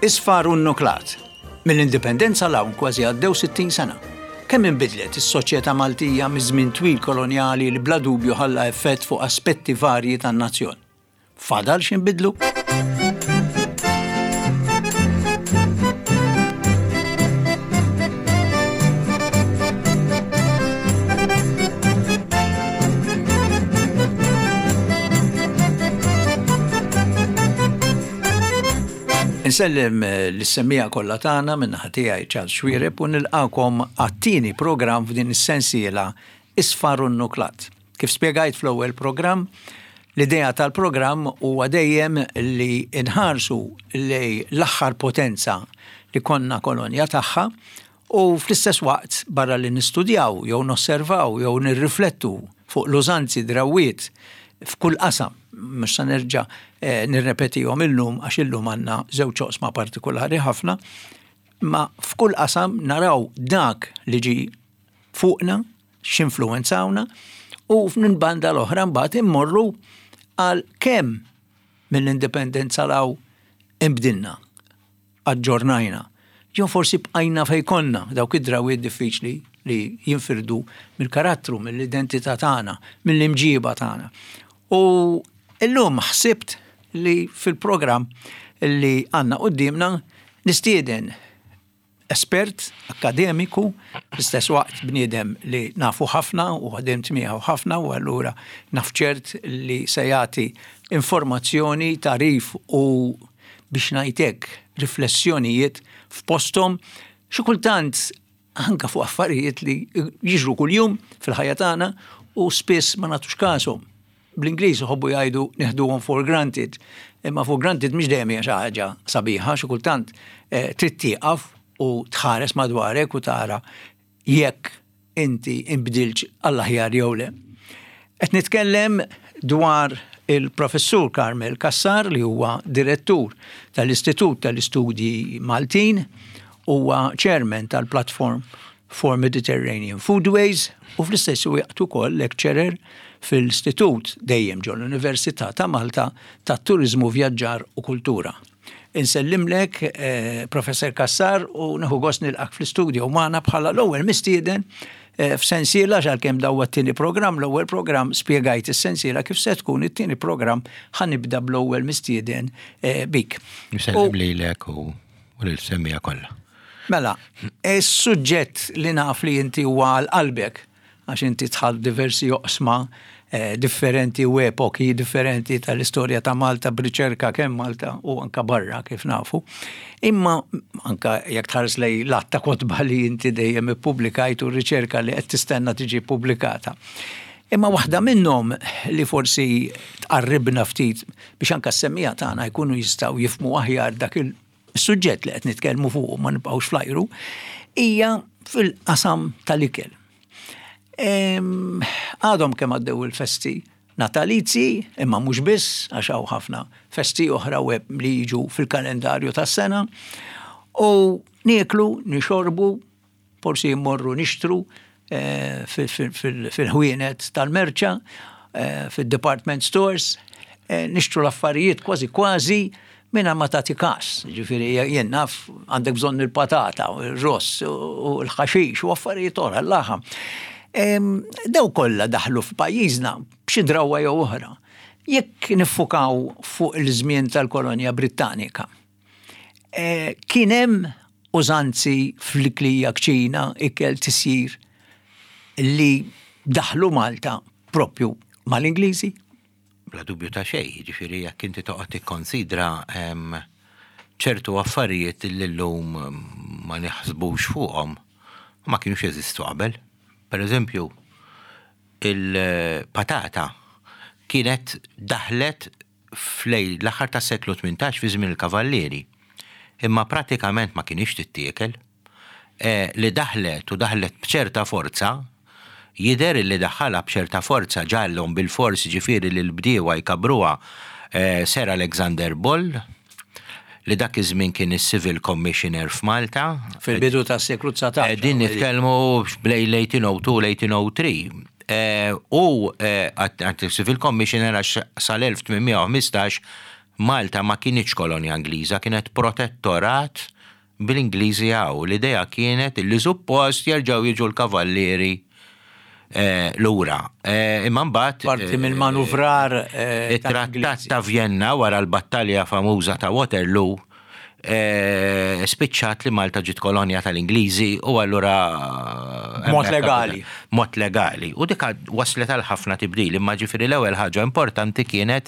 Isfar u nnuklat. Mill-Indipendenza 'l hawn kważi għaddew 60 sena. Kemm inbidlet is-soċjetà Maltija miż-żmien twil kolonjali li bla dubju ħalla effett fuq aspetti varji tan-nazzjon? Fadal x'inbidlu? Insellem eh, lis-semmiegħa kollha tagħna minn naħa tiegħi Charles Xuereb u nilqakom għat-tieni programm f'din is-sensiela Isfar u Nuklat. Kif spjegajt fl-ewwel programm, l-idea tal-programm huwa dejjem li nħarsu lej l-aħħar potenza li konna kolonja tagħha U fl-istess waqt, barra li nistudjaw jew nosservaw jew nirriflettu fuq l-użanzi, drawwiet f'kull qasam, mhux se nerġa' eh, nirrepetihom illum għax illum għandna żewġ oqsma partikolari ħafna, ma f'kull qasam naraw dak li ġi fuqna, x'influwenzawna, u minn banda l-oħra mbagħad immorru għal kemm mill-indipendenza law imbdilna aġġornajna, jew forsi bqajna fejn konna, dawk id-drawwiet diffiċli li jinfirdu mill-karattru, mill-identità tagħna, mill-imġiba tagħna. U illum ħsibt li fil-programm li għandna quddiemna nistieden espert akkademiku, fl-istess waqt bniedem li nafu ħafna u ħadimt miegħu ħafna u allura naf ċert li se jagħti informazzjoni, tagħrif u biex ngħid hekk, riflessjonijiet f'posthom, xi kultant anke fuq affarijiet li jiġru kuljum fil-ħajja tagħna u spiss ma nagħtux kashom. Bl-Ingliż iħobbu jgħidu neħduhom for granted, imma for granted mhix dejjem hija xi ħaġa sabiħa, xi kultant eh, trid tieqaf u tħares madwarek u tara jekk inti inbdiltx għall-aħjar jew le. Qed nitkellem dwar il-Professur Carmel Cassar li huwa direttur tal-Istitut tal-Istudji Maltin, huwa chairman tal-Platform for Mediterranean Foodways u fl-istess waqt ukoll lecturer fil-Istitut dejjem ġol-Università ta' Malta tat-Turiżmu, Vjaġġar u Kultura. Insellimlek, eh, Professor Cassar, u nieħu gost nilqak fl-istudio magħna bħala l-ewwel mistieden eh, f'sensiela għalkemm daw t-tieni programm, l-ewwel programm spjegajt is-sensiela kif se tkun it-tieni programm ħanibda bl-ewwel mistieden eh, bik. Nsellim lilek u lil semmija kollha. Mela, is-suġġett li naf li inti huwa għal qalbek għax inti dħalt diversi oqsma eh, differenti u epoki differenti tal-istorja ta' Malta b'riċerka kemm Malta u anka barra kif nafu. Imma anka jekk tħares lej l-att ta' kotba li inti dejjem ippubblikajt u riċerka li qed tistenna tiġi pubblikata. Imma waħda minnhom li forsi tqarribna ftit biex anka s-semmija tagħna jkunu jistgħu jifmu aħjar dak il-suġġett li qed nitkellmu fuq ma nibqgħux flajru, hija fil-qasam tal-ikel. Għadhom kemm għaddew il-festi natalizi, imma mhux biss, għax hawn ħafna festi oħra web li jiġu fil-kalendarju tas-sena, u nieklu, nixorbu, forsi jmorru nixtru eh, fil-ħwienet tal-merċa, eh, fil-department stores, eh, nixtru l-affarijiet kważi kważi minna ma tagħti kas. Ġifieri jien naf għandek bżonn il-patata, il-ross u l-ħaxix u affarijiet oħra l-laħam. Daw kollha daħlu f'pajjiżna b'xi drawwa jew oħra. Jekk niffukaw fuq il-żmien tal-kolonja Brittanika, eh, kien hemm użanzi fl-iklija kċina, ikel tisjir li daħlu Malta propju mal-Ingliżi? Bla dubju ta' xejn, jiġifieri jekk inti toqgħod tikkonsidra ċertu affarijiet li llum ma naħsbux fuqhom ma kienux jeżistu qabel. Per eżempju, il-patata kienet daħlet flej l-aħħar tas-seklu 18 fi żmien il-Kavallieri. Imma pratikament ma kienx tittiekel. Eh, li daħlet u daħlet b'ċerta forza, jidher li daħħalha b'ċerta forza ġallhom bil-fors ġifieri li l-bdiewa jkabruha eh, Sir Alexander Bull, li dak iż-żmien kien is-Civil Commissioner f'Malta. Fil-bidu tas-seklu 19. Din nitkellmu bejn l-1802 l-1803. Eh, u għat Civil Commissioner għax sal-1815 Malta ma kinitx kolonja Ingliża, kienet protettorat bl-Ingliżi hawn. L-idea kienet li suppost jerġgħu jiġu l-kavallieri lura. Imma mbagħad Parti mill-manuvrar it-Trattat ta' Vjenna wara l-battalja famuża ta' Waterloo spiċċat li Malta ġiet kolonja tal-Ingliżi u allura Mod legali. Mod legali. U dik waslet għal ħafna tibdil, imma ġifieri l-ewwel ħaġa importanti kienet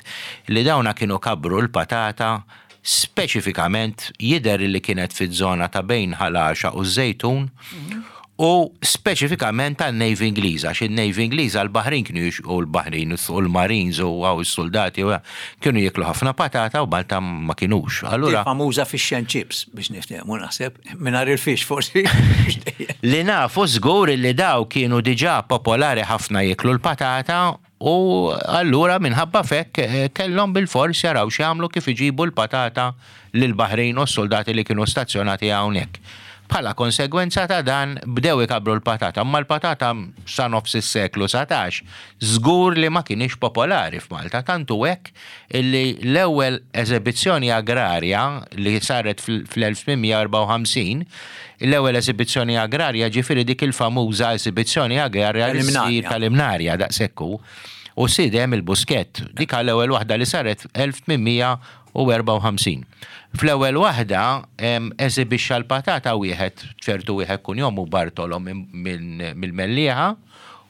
li dawna kienu kabbru l-patata speċifikament jidher li kienet fiż-żona ta' bejn Ħal Għaxaq u ż-Żejtun u speċifikament għan-Navy Ingliża, għax in-Navy Ingliża l-baħrin kienu jix u l-baħrin u l-Marines u hawn is-suldati u kienu jieklu ħafna patata u Malta ma kinux. Allura famuża fish and chips biex niftehmu naħseb, mingħajr il-fish forsi. Li nafu żgur li daw kienu diġà popolari ħafna jieklu l-patata U allura minħabba f'hekk kellhom bilfors jaraw x'jagħmlu kif iġibu l-patata lill-baħrin u s-suldati li kienu stazzjonati hawnhekk. Bħala konsegwenza ta' dan bdew ikabbru l-patata, imma l-patata sa nofs is-seklu 19 żgur li ma kinitx popolari f'Malta, tant hu hekk illi l-ewwel eżebizzjoni agrarja li saret fl-1854, l-ewwel eżibizzjoni agrarja ġifieri dik il-famuża eżibizzjoni agrarja li ssir tal-Imnarja daqshekk hu, u sid hemm il-Buskett, dik l-ewwel waħda li saret 1854. Fl-ewwel waħda eżibixxa l-patata wieħed ċertu wieħed kunjomu Bartolo mill-Mellieħa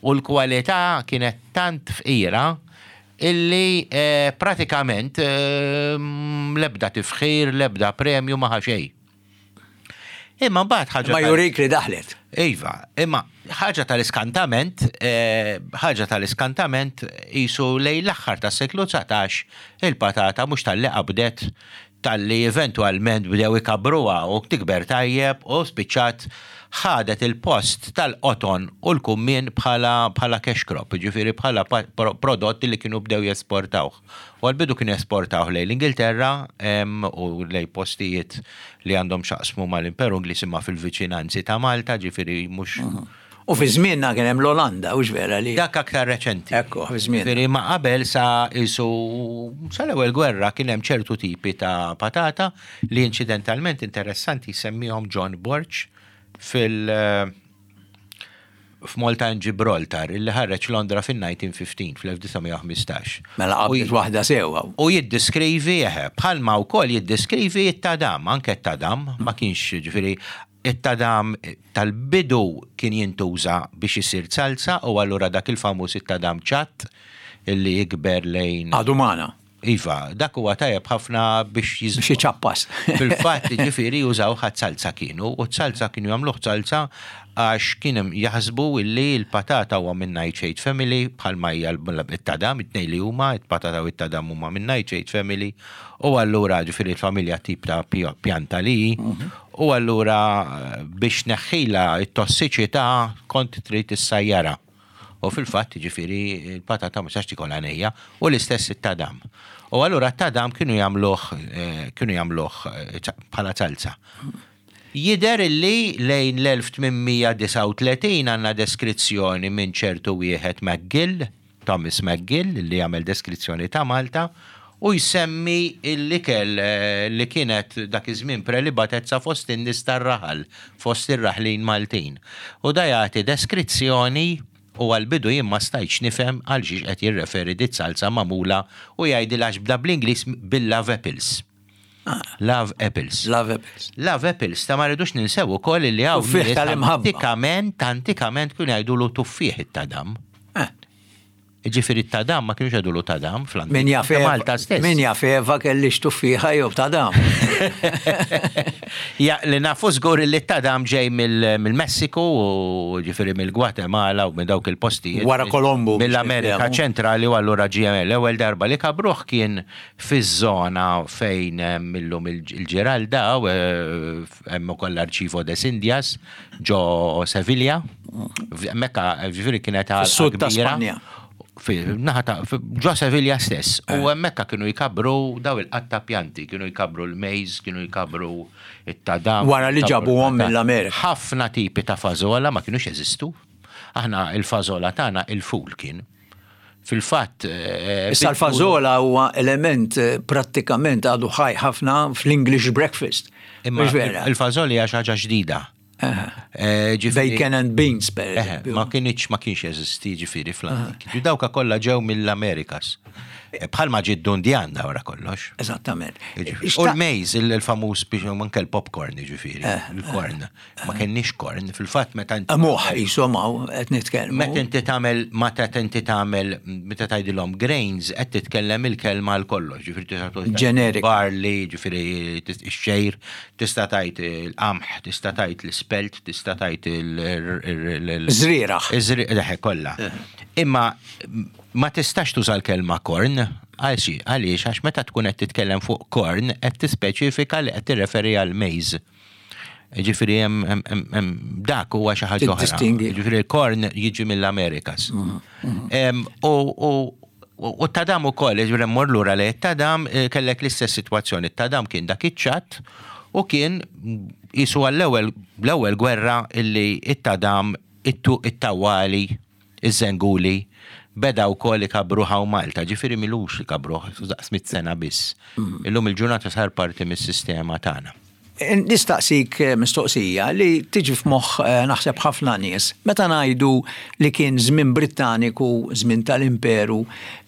u l-kwalità kienet tant fqira illi pratikament l-ebda tifħir, l-ebda premju ma ħa xejn. Imma mbagħad ħaġa. Ma jurik li daħlet. Iva, imma ħaġa tal-iskantament, ħaġa tal-iskantament qisu lejn l-aħħar tas-seklu 19 il-patata mhux talli qabdet talli eventwalment bdew ikabbruha u tikber tajjeb u spiċċat ħadet il-post tal-qoton u l-kummien bħala bħala cash crop, jiġifieri bħala prodott li kienu bdew jesportawh. U għall-bidu kienu jesportawh lejn l-Ingilterra u lejn postijiet li għandhom x'jaqsmu mal-Imperu Ingliż imma fil-viċinanzi ta' Malta, ġifieri mhux U fi żmienna kien hemm l-Olanda, hux vera li. Dak aktar reċenti. Ekku, fi żmienna. Ġifieri ma qabel sa qisu sal-ewwel gwerra kien hemm ċertu tipi ta' patata li inċidentalment interessanti jsemmihom John Borg fil f'Malta and Gibraltar illi ħareġ Londra fin-1915, fl-1915. Mela qabdet waħda sew hawn. U jiddiskrivi, eħe, bħalma wkoll jiddiskrivi t-tadam, anke t-tadam ma kienx ġifieri It-tadam tal-bidu kien jintuża biex isir zalza u allura dak il-famuż it-tadam ċatt illi jikber lejn. Għadu magħna. Iva, dak huwa tajjeb ħafna biex jiż. Biex iċappas. Fil-fatt, jiġifieri jużawh għaz-zalza kienu, u z-zalza kienu jagħmluh zalza għax kien hemm jaħsbu illi l-patata huwa min-nightshade family bħalma hija t-tadam, it-tnejn li huma, il-patata u t-tadam huma min-nightshade family u allura ġifieri l-familja tip ta' pjanta li hi, U allura biex tneħħilha t-tossiċità kont trid issajjarha. U fil-fatt, jiġifieri, il-patata ma tistax tikolha nejja, u l-istess it-tadam. U allura t-tadam kienu jagħmluh kienu jagħmluh bħala salza. Jidher illi lejn l-1839 għandna deskrizzjoni minn ċertu wieħed McGill, Thomas McGill li jagħmel deskrizzjoni ta' Malta u jsemmi l-ikel li kienet dak iż-żmien prelibatezza fost in-nies tar-raħal, fost ir-raħlin Maltin. U da jagħti deskrizzjoni u għall-bidu jien ma stajtx nifhem għal xiex qed jirreferi diz-zalza magħmula u jgħidilha għax bda bl-Ingliż bil-love apples. Love apples. Love apples. Love apples, ta' ma rridux ninsew ukoll li hawn Tuffieħ tal-imħabba. Antikament, antikament kienu jgħidulu tuffieħ it-tadam. Eh. Ġifieri t-tadam ma kienux jgħidulu tadam fl-antik. Min jaf Ta' Malta stess. Min jaf Eva kellix tuffieħa jew tadam. Ja, li nafu żgur li t-tadam ġej mill-Messiku u ġifieri mill-Gwatemala u minn dawk il-postijiet. Wara Kolombu. Mill-Amerika ċentrali u allura ġie l-ewwel darba li kabruh kien Fiż-żona fejn hemm illum il-Ġiralda, hemm ukoll l-Arċivo des Indias ġo Sevilja. Hemmhekk ġifieri kienet għalqa Fis-sud ta' kbira. Spanja. Naħa ta' ġo Sevilja stess. U hemmhekk kienu jkabbru daw il-qatta pjanti, kienu jkabbru l-maize, kienu jkabbru it-tadam. Wara li ġabuhom mill-Amerika. Ħafna tipi ta' fażola ma kinux jeżistu. Aħna il-fażola tagħna il-ful kien. Fil-fatt. Issa l-fażola huwa element prattikament għadu ħaj ħafna fl-English breakfast. Imma il-fażola hija xi ħaġa ġdida. Bacon and beans, per eżempju. Ma kienx ma kienx jeżisti ġifieri fl-antik. Dawka kollha ġew mill-Amerikas. Bħalma ġie d-dundjan da wara kollox. Eżattament. U l-maize, il-famuż biex anke l-popcorn ġifieri, il-corn. Ma kenniex corn, fil-fatt meta inti. Moħ jisom hawn qed nitkellmu. Meta inti tagħmel meta inti tagħmel meta tgħidilhom grains qed titkellem il-kelma għal kollox, ġifieri tista' Generic. Barley, ġifieri ix-xejr, tista' tgħid il-qamħ, tista' tgħid l-ispelt, tista' tgħid il- Żrieragħ. Iż-żrieragħ kollha. Imma ma tistax tuża l-kelma corn, għaliex għax meta tkun qed titkellem fuq corn qed tispeċifika li qed tirreferi għal maize. Ġifieri hemm dak huwa xi ħaġa oħra. Ġifieri l-corn jiġi mill-Amerikas. U t-tadam ukoll, ġifieri mmur lura li t-tadam eh, kellek l-istess sitwazzjoni. T-tadam kien dak iċ-ċatt u kien jisu għall-ewwel l-ewwel gwerra illi it-tadam it-tawali Iż-żenguli beda wkoll ikabbruh hawn Malta, ġifieri m'ilux ikabbruh, daqs sena biss. Illum il-ġurnata sar parti mis-sistema tagħna. Nistaqsik mistoqsija li tiġi f'moħħ naħseb ħafna nies. Meta ngħidu li kien żmien Brittaniku, żmien tal-Imperu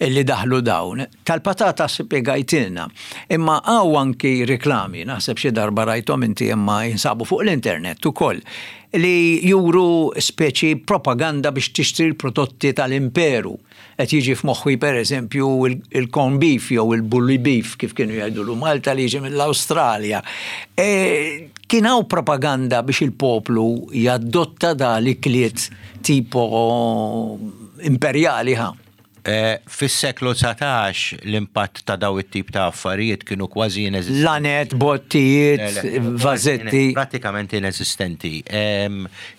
li daħlu dawn, tal-patata spjegajtilna. Imma hawn anki riklami, naħseb xi darba rajthom inti imma jinsabu fuq l-internet ukoll, li juru speċi propaganda biex tixtri l-prodotti tal-imperu. Qed jiġi f'moħħi pereżempju il-corn beef jew il-bully beef kif kienu jgħidulu Malta li jiġi mill-Awstralja. E, kien hawn propaganda biex il-poplu jadotta da l-ikliet tipo imperjali ħa. Fis-seklu 19 l-impatt ta' daw it-tip ta' affarijiet kienu kważi ineżistenti. Lanet, bottijiet, vażetti. Prattikament ineżistenti.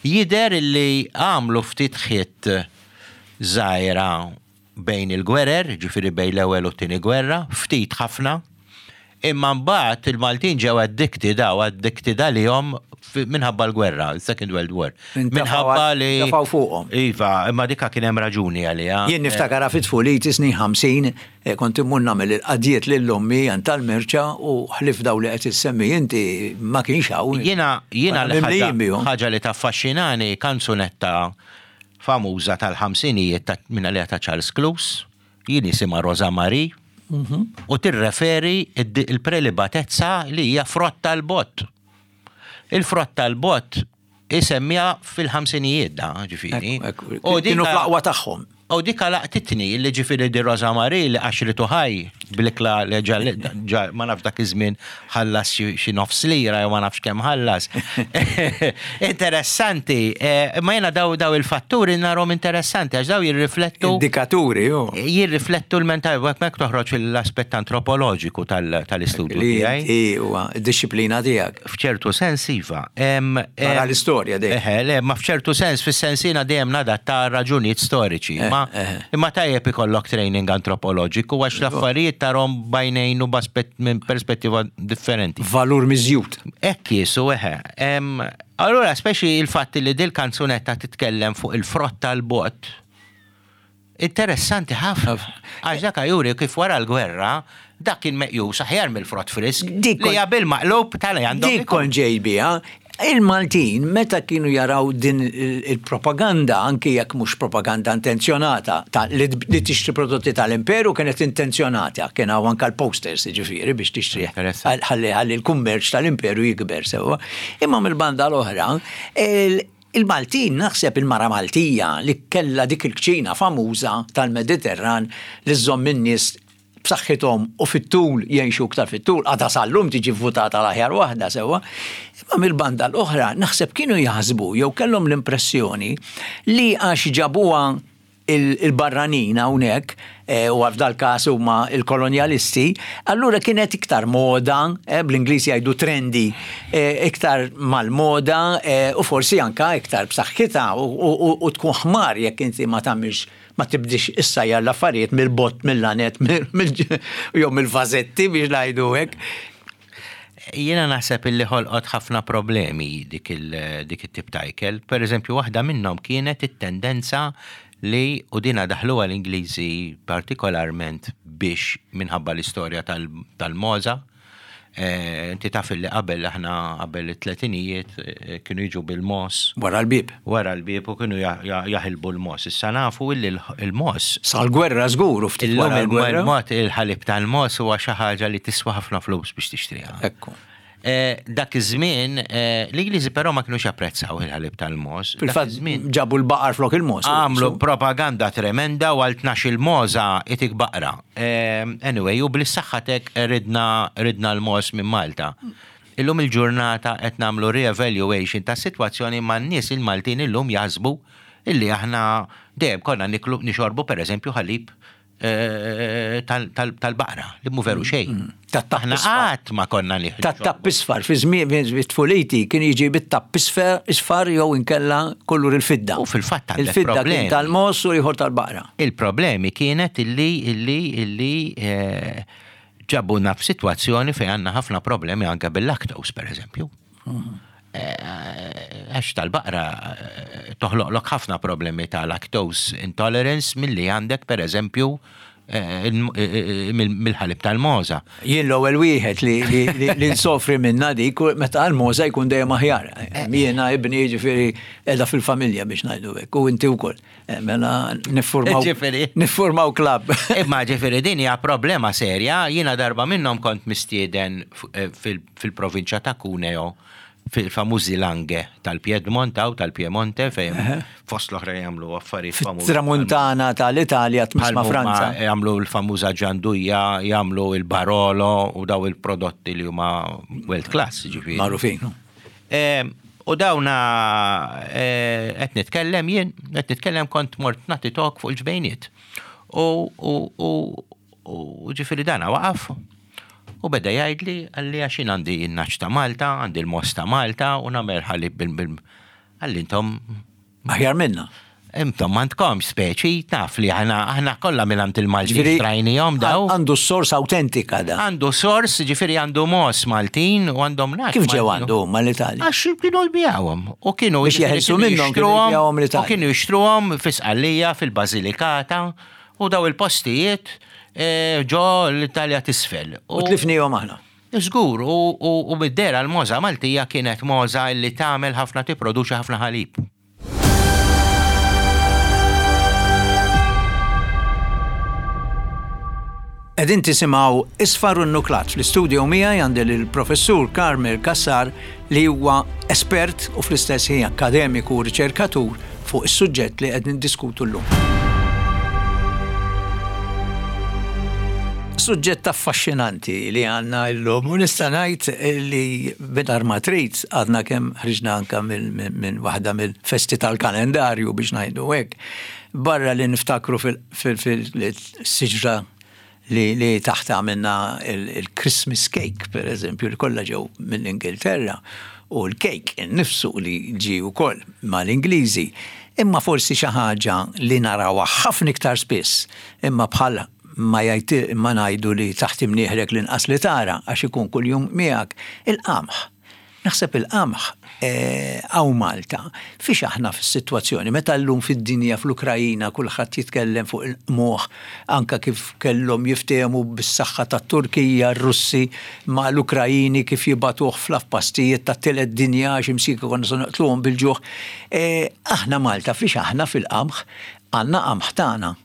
Jidher li għamlu ftit ħitt żgħira bejn il-gwerer, ġifieri bejn l-ewwel u t-tieni gwerra, ftit ħafna. Imma mbagħad il-Maltin ġew addicted hawn, addicted għalihom minħabba l-gwerra, il-Second World War. Minħabba li. Tefgħu fuqhom. Iva, imma dika kien hemm raġuni għaliha. Jien niftakarha fi tfuliti snin 50, eh, kont immur nagħmel il-qadjiet lil ommi għand tal-merċa u ħlif daw li qed issemmi inti ma kienx hawn. Jiena jiena ħaġa li taffaxxinani kanzunetta famuża tal-ħamsinijiet minn għaliha ta' Charles Cluse Jien jisimha Rosa Marie u tirreferi il-prelibatezza li hija frott tal-bott. Il-frott tal-bott isemmiha fil-ħamsinijiet da, ġifieri. U kienu fl-aqwa tagħhom. U dika laqtitni li ġifieri di Rosa Marie li qaxritu ħaj bl-ikla li ġa ma nafx dak iż-żmien ħallas xi nofs lira jew ma nafx kemm ħallas. Interessanti, eh, imma jiena daw daw il-fatturi narhom interessanti għax daw jirriflettu. Indikaturi, jo. Jirriflettu l-mentalità, hekk toħroġ l-aspett antropoloġiku tal-istudju tiegħi. Huwa d-disciplina tiegħek. F'ċertu sens iva. Tara l-istorja dejjem. Eħe, le, ma f'ċertu sens fis-sens jiena dejjem nadatta raġunijiet storiċi. Eh, ma eh. imma tajjeb ikollok training antropoloġiku għax l-affarijiet tarhom bajnejn u b'aspett minn perspettiva differenti. Valur miżjud. Hekk jisu eħe. Allura speċi il-fatt li dil kanzunetta titkellem fuq il-frott tal-bot, interessanti ħafna. Għax dak juri kif wara l-gwerra, dak kien meqjus aħjar mill-frott frisk. Li hija bil-maqlub tal għandhom. Dik kont ġej biha, Il-Maltin meta kienu jaraw din il-propaganda, anki jekk mhux propaganda intenzjonata, ta' li tixtri prodotti tal-Imperu kienet intenzjonata, kien hawn anke l-posters jiġifieri biex tixtrih ħalli ħalli l-kummerċ tal-Imperu jikber sewwa. Imma mill-banda l-oħra, il-Maltin naħseb il-mara Maltija li kellha dik il-kċina famuża tal-Mediterran li żżomm in-nies b'saħħithom u fit-tul jgħixu iktar fit-tul, għadha sal-lum tiġi vvutata l-aħjar waħda sewwa. Imma mill-banda l-oħra naħseb kienu jaħsbu jew kellhom l-impressjoni li għax ġabuha il-barranin hawnhekk, eh, u f'dal-każ huma il-kolonjalisti, allura kienet iktar moda, eh, bl-Ingliż jgħidu trendy, eh, iktar mal-moda u forsi anka iktar b'saħħitha u tkun ħmar jekk inti ma tagħmilx ma tibdix issajjar l-affarijiet mill-bott, mill-lanet, jew mill-vażetti biex ngħidu hekk. Jiena naħseb illi ħolqot ħafna problemi dik it-tip ta' ikel. Per eżempju, waħda minnhom kienet it-tendenza li u dina daħluha l-Ingliżi partikolarment biex minħabba l-istorja tal-mogħża. Inti taf li qabel aħna qabel it-tletinijiet kienu jiġu bil-mogħoż. Wara l-bieb. Wara l-bieb u kienu jaħilbu l-mogħoż. Issa nafu illi l-mogħoż. Sal-gwerra żgur u ftit wara l-gwerra. Illum il-ħalib tal-mogħoż huwa xi ħaġa li tiswa ħafna flus biex tixtriha. Ekku. Dak iż-żmien, l-Ingliżi però ma kinux japprezzaw il-ħalib tal-mogħoż. Fil-fatt ġabu l-baqar flok il-mogħoż. Għamlu propaganda tremenda u għal tnax-il mogħża itik baqra. Anyway, u bl-saħħatek ridna ridna l-mogħoż minn Malta. Illum il-ġurnata qed nagħmlu re-evaluation tas-sitwazzjoni imma n-nies il-Maltin illum jaħsbu illi aħna dejjem konna niklu nixorbu pereżempju ħalib tal-baqra, li mhu veru xejn. Mm. Aħna qatt ma konna nieħdu. Tat-tapp isfar, fi żmien tfuliti kien jiġi bit-tapp isfar jew inkella kollur il-fidda. U fil-fatt il-fidda kien tal-mos u ieħor tal-baqra. Il-problemi kienet illi illi illi eh, ġabuna f'sitwazzjoni fejn għandna ħafna problemi anke bil-lactose, per eżempju. Mm. Għax tal-baqra toħloqlok ħafna problemi ta' lactose intolerance milli għandek per eżempju mill-ħalib tal-mogħża. Jien l-ewwel wieħed li nsofri minna dik meta l-mogħża jkun dejjem aħjar. Jiena ibni jiġifieri qiegħda fil-familja biex ngħidu hekk u inti wkoll. Mela niffurmaw niffurmaw klabb. Imma ġifieri din hija problema serja, jiena darba minnhom kont mistieden fil-provinċja ta' Cuneo fil-famużi Langhe tal-Piedmont hawn tal-Piemonte fejn fost l-oħra jagħmlu affarijiet famużi. Tramuntana tal-Italja tmiss ma' Franza. Jagħmlu l-famuża ġanduja, jagħmlu il-Barolo u daw il-prodotti li huma world class, ġifieri. Magħrufin. U dawna qed nitkellem jien, qed nitkellem kont mort nagħti talk fuq il-ġbejniet. U ġifieri dana waqaf u beda jgħidli qalli għax jien għandi n-nagħaġ ta' Malta, għandi l-mogħoż ta' Malta u nagħmel ħalib bil Qalli intom Aħjar minna. Intom m'għandkomx speċi, taf li aħna aħna kollha mingħand il-Maltin xtrajnihom daw. Għandu s-sors awtentika da. Għandu sors, ġifieri għandu mogħoż Maltin u għandhom nagħaġ. Kif ġew għandu huma l-Italja? Għax kienu jbigħuhom u kienu Biex jeħilsu minnhom kienu jbigħuhom l-Italja. U kienu jixtruhom fi Sqallija, fil-Basilikata. U daw il-postijiet ġo l-Italja t'isfel. U tlifnihom aħna. Żgur, u mid-dehra l-mogħża Maltija kienet mogħża li tagħmel ħafna tipproduċi ħafna ħalib. Qegħdin tisimgħu Isfar u Nnuklat. Fl-istudio miegħi għandi lill-Professur Carmel Cassar li huwa espert u fl-istess ħin akkademiku u riċerkatur fuq is-suġġett li qed niddiskutu llum. Suġġett affaxxinanti li għandna llum u nista' ngħid li mingħajr ma trid għadna kemm ħriġna anke minn waħda mill-festi tal-kalendarju biex ngħidu hekk. Barra li niftakru fil-siġra li, li taħt għamilna il-Christmas cake, per eżempju, li kollha ġew mill-Ingilterra, u l-cake innifsu li ġie wkoll mal-Ingliżi. Imma forsi xi ħaġa li narawha ħafna iktar spiss, imma bħal ma jgħid ma ngħidu li taħt imnieħrek l-inqas li tara għax ikun kuljum miegħek, il-qamħ. Naħseb il-qamħ hawn Malta, fiex aħna fis-sitwazzjoni meta llum fid-dinja fl-Ukrajina kulħadd jitkellem fuq il-qmuħ anke kif kellhom jiftehmu bis-saħħa tat-Turkija r-Russi ma' l-Ukrajini kif jibagħtuh fl-afpastijiet tat-tielet dinja għax imsieku konna se noqtluhom bil-ġuħ. Aħna Malta fiex aħna fil-qamħ? Għandna qamħ tagħna.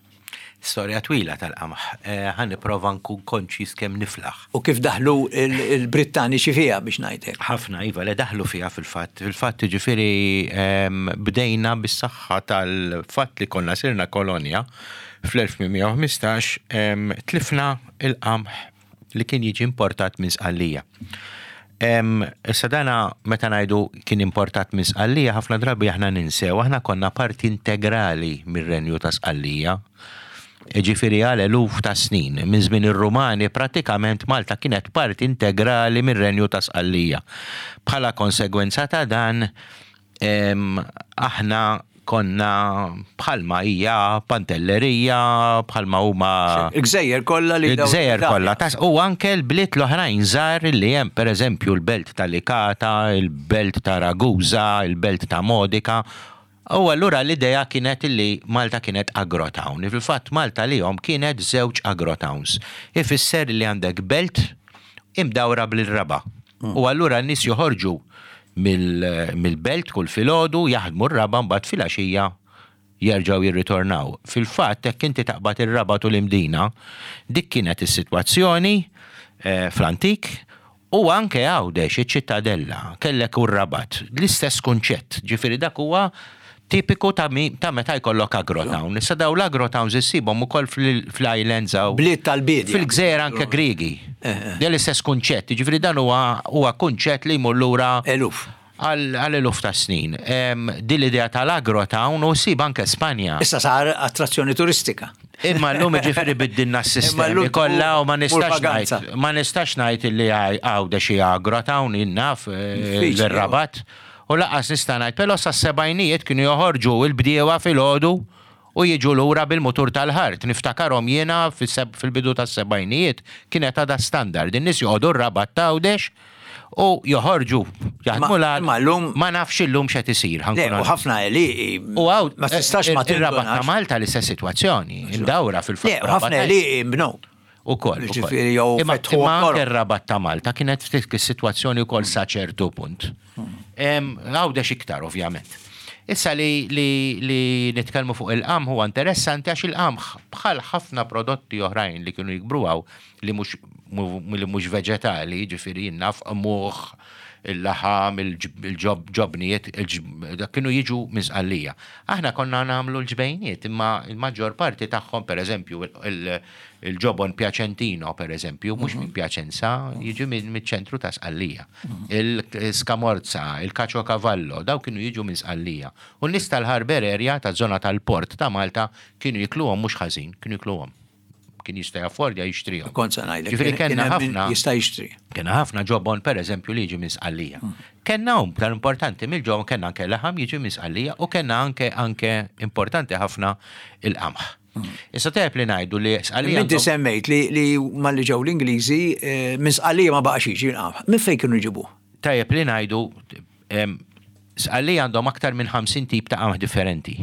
Storja twila tal-qamħ. Ħa nipprova nkun konċiż kemm niflaħ. U kif daħlu l-Brittaniċi fiha biex ngħid hekk. Ħafna, iva, le daħlu fiha fil-fatt. Fil-fatt, jiġifieri bdejna bis-saħħa tal-fatt li konna sirna kolonja fl-1815 tlifna l-qamħ li kien jiġi importat minn Sqallija. Issa dana meta ngħidu kien importat minn Sqallija ħafna drabi aħna ninsew, aħna konna parti integrali mir-Renju ta' Sqallija. Ġifieri għal eluf ta' snin, minn żmien ir-Rumani prattikament Malta kienet parti integrali mir-Renju ta' Sqallija. Bħala konsegwenza ta' dan Aħna konna bħalma hija Pantellerija, bħalma huma. Il-gżejjer kollha li. Il-gżejjer kollha. U anke l-bliet l-oħrajn żgħar li hemm, pereżempju l-belt ta' Licata, il-belt ta' Ragusa, il-belt ta' Modica. U allura l-idea kienet li Malta kienet agrotown. Fil-fatt Malta lihom kienet żewġ agrotowns. Ifisser li għandek belt imdawra bil-raba'. U allura n-nies joħorġu mill-belt kull filgħodu, jaħdmu r-raba' mbagħad filgħaxija jerġgħu jirritornaw. Fil-fatt jekk inti taqbad ir-Rabat u l-Imdina, dik kienet is-sitwazzjoni fl-antik u anke Għawdex, iċ-Ċittadella, kellek u r-Rabat, l-istess kunċett. Ġifieri dak huwa tipiku ta' ta' meta jkollok agrotown. Issa dawn l-agrotowns issibhom ukoll fl-islands hawn. Bliet tal-biedja. Fil-gżejjer anke Griegi. Dan l-istess kunċett, jiġifieri dan huwa huwa kunċett li jmur lura Eluf. Għal eluf ta' snin. Din l-idea tal-agrotown u ssib anke Spanja. Issa sar attrazzjoni turistika. Imma llum jiġifieri biddilna s-sistemi kollha u ma nistax ngħid ma nistax ngħid li Għawdex hija agrotown jien naf l-Rabat. U lanqas nista' ngħid, però sas-sebgħinijiet kienu joħorġu l-bdiewa filgħodu u jiġu lura bil-mutur tal-ħart. Niftakarhom jiena fil-bidu tas-sebgħinijiet kienet għadha standard. In-nies joqogħdu r-Rabat t'Għawdex u joħorġu jaħdmu l-art. Imma llum. Ma nafx illum x'qed isir, ħa Le, nkun u onest. ħafna għelieqi. U hawn Ma tistax ma ir-Rabat ta' tindunax. Malta l-istess sitwazzjoni, imdawra fil-fatt. Le, u ħafna għelieqi nbnew. Ukoll. Ġifieri jew Imma fetħu imma anke toroq. r-Rabat ta' Malta kienet ftit is-sitwazzjoni wkoll sa ċertu punt. Għawdex iktar ovvjament. Issa li, li, li nitkellmu fuq il-qamħ huwa interessanti għax il-qamħ bħal ħafna prodotti oħrajn li kienu jikbru hawn li mhux li mhux veġetali, ġifieri jien naf qmuħ, il-laħam, il-ġobnijiet, dak kienu jiġu minn Sqallija. Aħna konna nagħmlu l-ġbejniet imma l-maġġor parti tagħhom pereżempju il-ġobon Piacentino pereżempju mhux minn Piacenza, jiġi miċ-ċentru ta' Sqallija. Il-scamorza, il-caciocavallo, dawn kienu jiġu minn Sqallija. U n-nies tal-Harbour area, taż-żona tal-port ta' Malta kienu jikluhom mhux ħażin, kienu jikluhom. Kien jista' jaffordja jixtrihom. Kont se ngħidlek. Ġifieri Kien kellna hemm min ħafna. Jista' jixtri. Kellna ħafna ġobon pereżempju li jiġi minn Sqallija. Kellna u iktar importanti mill-ġobon kellna anke laħam jiġi minn Sqallija u kellna anke anke importanti ħafna il-qamħ. Issa tajjeb li ngħidu li Sqallija. Inti semmejt li li malli ġew l-Ingliżi eh, minn Sqallija ma baqax jiġi l-qamħ. Minn fejn kienu jġibuh? Tajjeb li ngħidu Sqallija għandhom aktar minn 50 tip ta' qamħ differenti.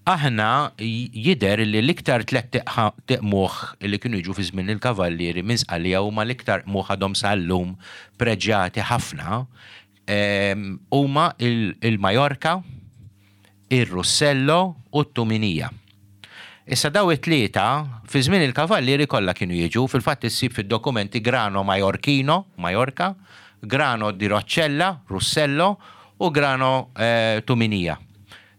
Aħna jidher li l-iktar tlett qmuħ li kienu jiġu fi żmien il-Kavallieri minn Sqallija huma l-iktar qmuħ għadhom sal-lum preġjati ħafna huma il-Majorca, ir-Russello u t-Tuminija. Issa daw it-tlieta fi żmien il-Kavallieri kollha kienu jiġu, fil-fatt issib fid-dokumenti grano Maiorchino, Majorca, grano di Roccella, Russello, u grano Tuminija.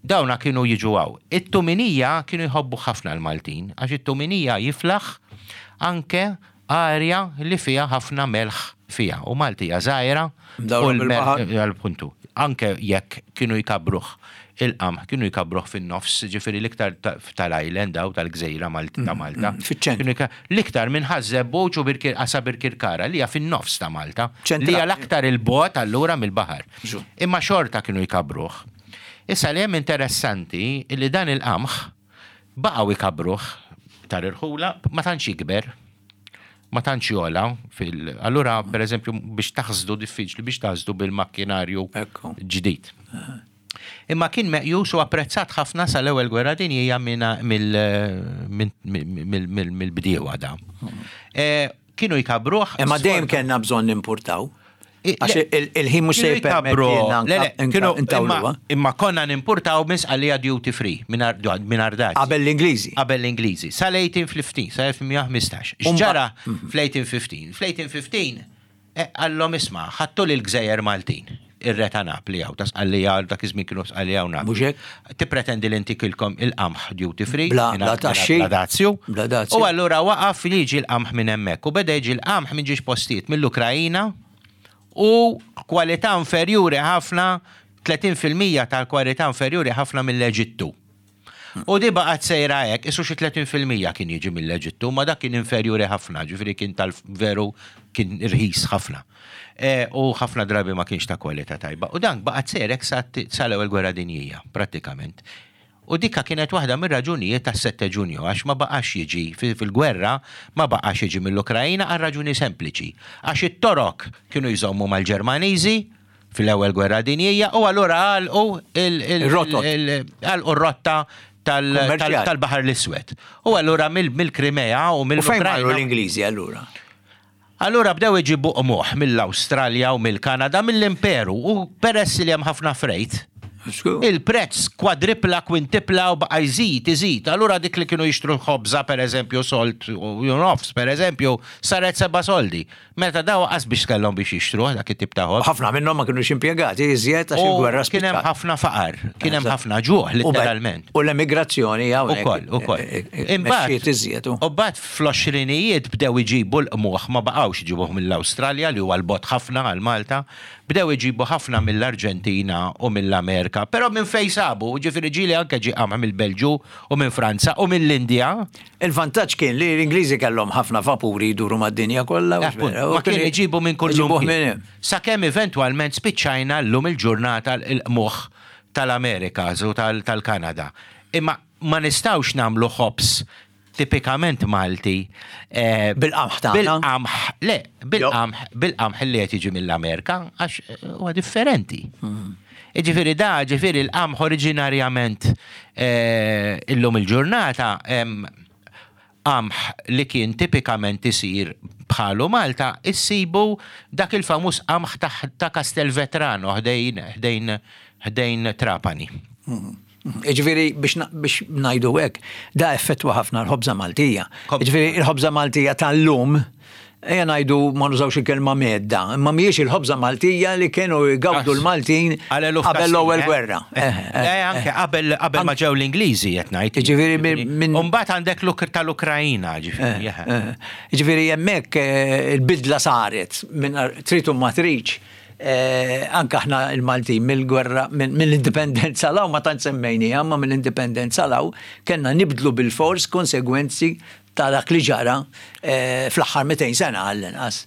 Dawna kienu jiġu hawn. It-tuminija kienu jħobbuh ħafna l-Maltin, għax it-tuminija jiflaħ anke arja li fiha ħafna melħ fiha. U Malti hija żgħira u l-melħ, puntu. Anke jekk kienu jkabbruh il-qamħ, kienu jkabbruh fin-nofs, ġifieri l-iktar tal-island hawn, tal-gżejra ta' Malta. Fiċ-ċentru. L-iktar minn Ħaż-Żebbuġ u sa Birkirkara, li hija fin-nofs ta' Malta. Li hija l-aktar 'il bogħod allura mill-baħar. Imma xorta kienu jkabbruh. Issa li hemm interessanti li dan il-qamħ baqgħu jkabbruh tal-irħula, ma tantx jikber, ma tantx jogħla fil allura pereżempju biex taħsdu diffiċli biex taħsdu bil-makkinarju ġdid. Imma kien meqjus u apprezzat ħafna sal-Ewwel Gwerra Dinjija mill-bdiewa da. Kienu jkabbruh. Imma dejjem kellna bżonn nimpurtaw. Għax il-ħin mhux se jippermettilna intawluha. Imma konna nimpurtaw minn Sqallija duty free, mingħajr dazju. Qabel l-Ingliżi. Qabel l-Ingliżi. Sal-1815, sal-1815. X'ġara fl-1815? Fl-1815 Qallhom isma', ħadtu lill-gżejjer Maltin, ir-re ta' Napli hawn, ta' Sqallija, dak iż-żmien kienu Sqallija u Napli. Mhux hekk? Tippretendi li ntikilkom il-qamħ duty free, Bla bla taxxi. bla dazju. Bla dazju. U allura waqaf li jiġi l-qamħ minn hemmhekk u beda jiġi l-qamħ minn ġiex postijiet, mill-Ukraina u kwalità inferjuri ħafna, 30% tal-kwalità inferjuri ħafna mill-Eġittu. U di baqgħet sejra hekk, qisu xi 30% kien jiġi mill-Eġittu, imma dak kien inferjuri ħafna, ġifieri kien tal-veru kien irħis ħafna. U ħafna drabi ma kienx ta' kwalità tajba. U dan baqgħet sejra hekk sal-Ewwel Gwerra Dinjija, prattikament. U dikka kienet waħda mir-raġunijiet tas-Sette Ġunju, għax ma baqax jiġi fil-gwerra ma baqax jiġi mill-Ukraina għal raġuni sempliċi. Għax it-Torok kienu jżommu mal-Ġermaniżi, fil-Ewwel Gwerra Dinjija u allura għalqu Ir-rotot. għalqu r-rotta tal-Baħar l-Iswed. U allura mill-Krimea u U fejn marru mill-Ukrajna. l-Ingliżi allura? Allura bdew iġibu qmuħ mill-Awstralja u mill-Kanada, mill-Imperu u peress li hemm ħafna frejt, il-prezz kwadripla, kwintipla u baqa' jżid, iżid. Allura dik li kienu jixtru ħobża pereżempju sold u nofs pereżempju saret seba' soldi. Meta daw qas biex kellhom biex jixtru dak it-tip ta' ħobż. Ħafna minnhom ma kinux impjegati iżjed għax il-gwerra Kien hemm spiċċat. ħafna faqar, kien hemm ħafna ġuħ litteralment. U l-emigrazzjoni hawnhekk. Ukoll, ukoll. Imbagħad iżjed. U mbagħad fl-għoxrinijiet bdew iġibu l-qmuħ, ma baqgħux iġibuh mill-Awstralja li huwa 'l bogħod ħafna għal Malta, bdew iġibu ħafna mill-Arġentina u mill-Amerika, però minn fejn sabu, ġifieri ġieli anke ġie qamħ mill-Belġju u minn Franza u mill-Indja. Il-vantaġġ kien li l-Ingliżi kellhom ħafna vapuri jduru mad-dinja kollha. Ma kien iġibu minn kull Iġibuh minn. Sakemm eventwalment spiċċajna llum il-ġurnata l-qmuħ tal-Amerika u tal-Kanada. Imma ma nistgħux nagħmlu ħobż tipikament Malti. Eh, bil-qamħ tagħna. Bil-qamħ, le, bil-qamħ, bil-qamħ li qed jiġi mill-Amerika għax eh, huwa differenti. Hmm. Ġifieri da, ġifieri l-qamħ oriġinarjament eh, illum il-ġurnata qamħ li kien tipikament isir bħalu Malta, issibu dak il-famuż qamħ ta' Castelvetrano ħdejn ħdejn ħdejn Trapani. Hmm. Ġifieri biex ngħidu hekk, da effettwa ħafna l-ħobża Maltija. Ġifieri il-ħobża Maltija tal-lum, ejja ngħidu ma nużawx il-kelma medda, imma mhijiex il-ħobża Maltija li kienu jgawdu l-Maltin qabel l-ewwel eh? gwerra. Eh, eh, eh, anke qabel qabel ma ġew l-Ingliżi qed ngħid. Ġifieri minn Imbagħad għandek l tal-Ukrajina, ġifieri. Ġifieri hemmhekk il-bidla saret minn trid u ma tridx Eh, anka aħna il-Maltin mill-gwerra, mill-indipendenza law, ma tant semmejni, ma mill-indipendenza law, kellna nibdlu bil-fors konsegwenzi ta' dak li ġara eh, fl-aħħar 200 sena għall-inqas.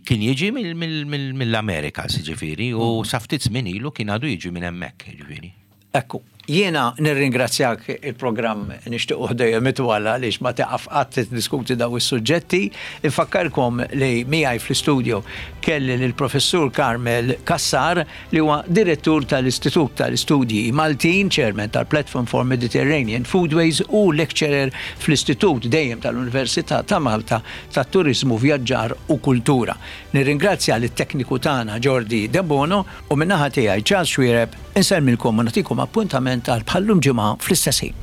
Kien jiġi mill-Amerika, ġifieri, u mm. sa ftit żmien ilu kien għadu jiġi minn hemmhekk, ġifieri. Ekku, jiena nirringrazzjak il-programm nixtiequh dejjem itwal għaliex ma tieqaf qatt tiddiskuti daw is-suġġetti. Infakkarkom li miegħi fl-istudio kelli lill-Professur Carmel Cassar li huwa Direttur tal-Istitut tal-Istudji Maltin, Chairman tal-Platform for Mediterranean Foodways u Lecturer fl-Istitut dejjem tal-Università ta' Malta tat-Turiżmu, Vjaġġar u Kultura. Nirringrazzja lit-tekniku tagħna Jordi Debono u min-naħa tiegħi Charles Xuereb insellmilkom u nagħtikom appuntament għal bħal-lum ġimgħa fl-istess ħin.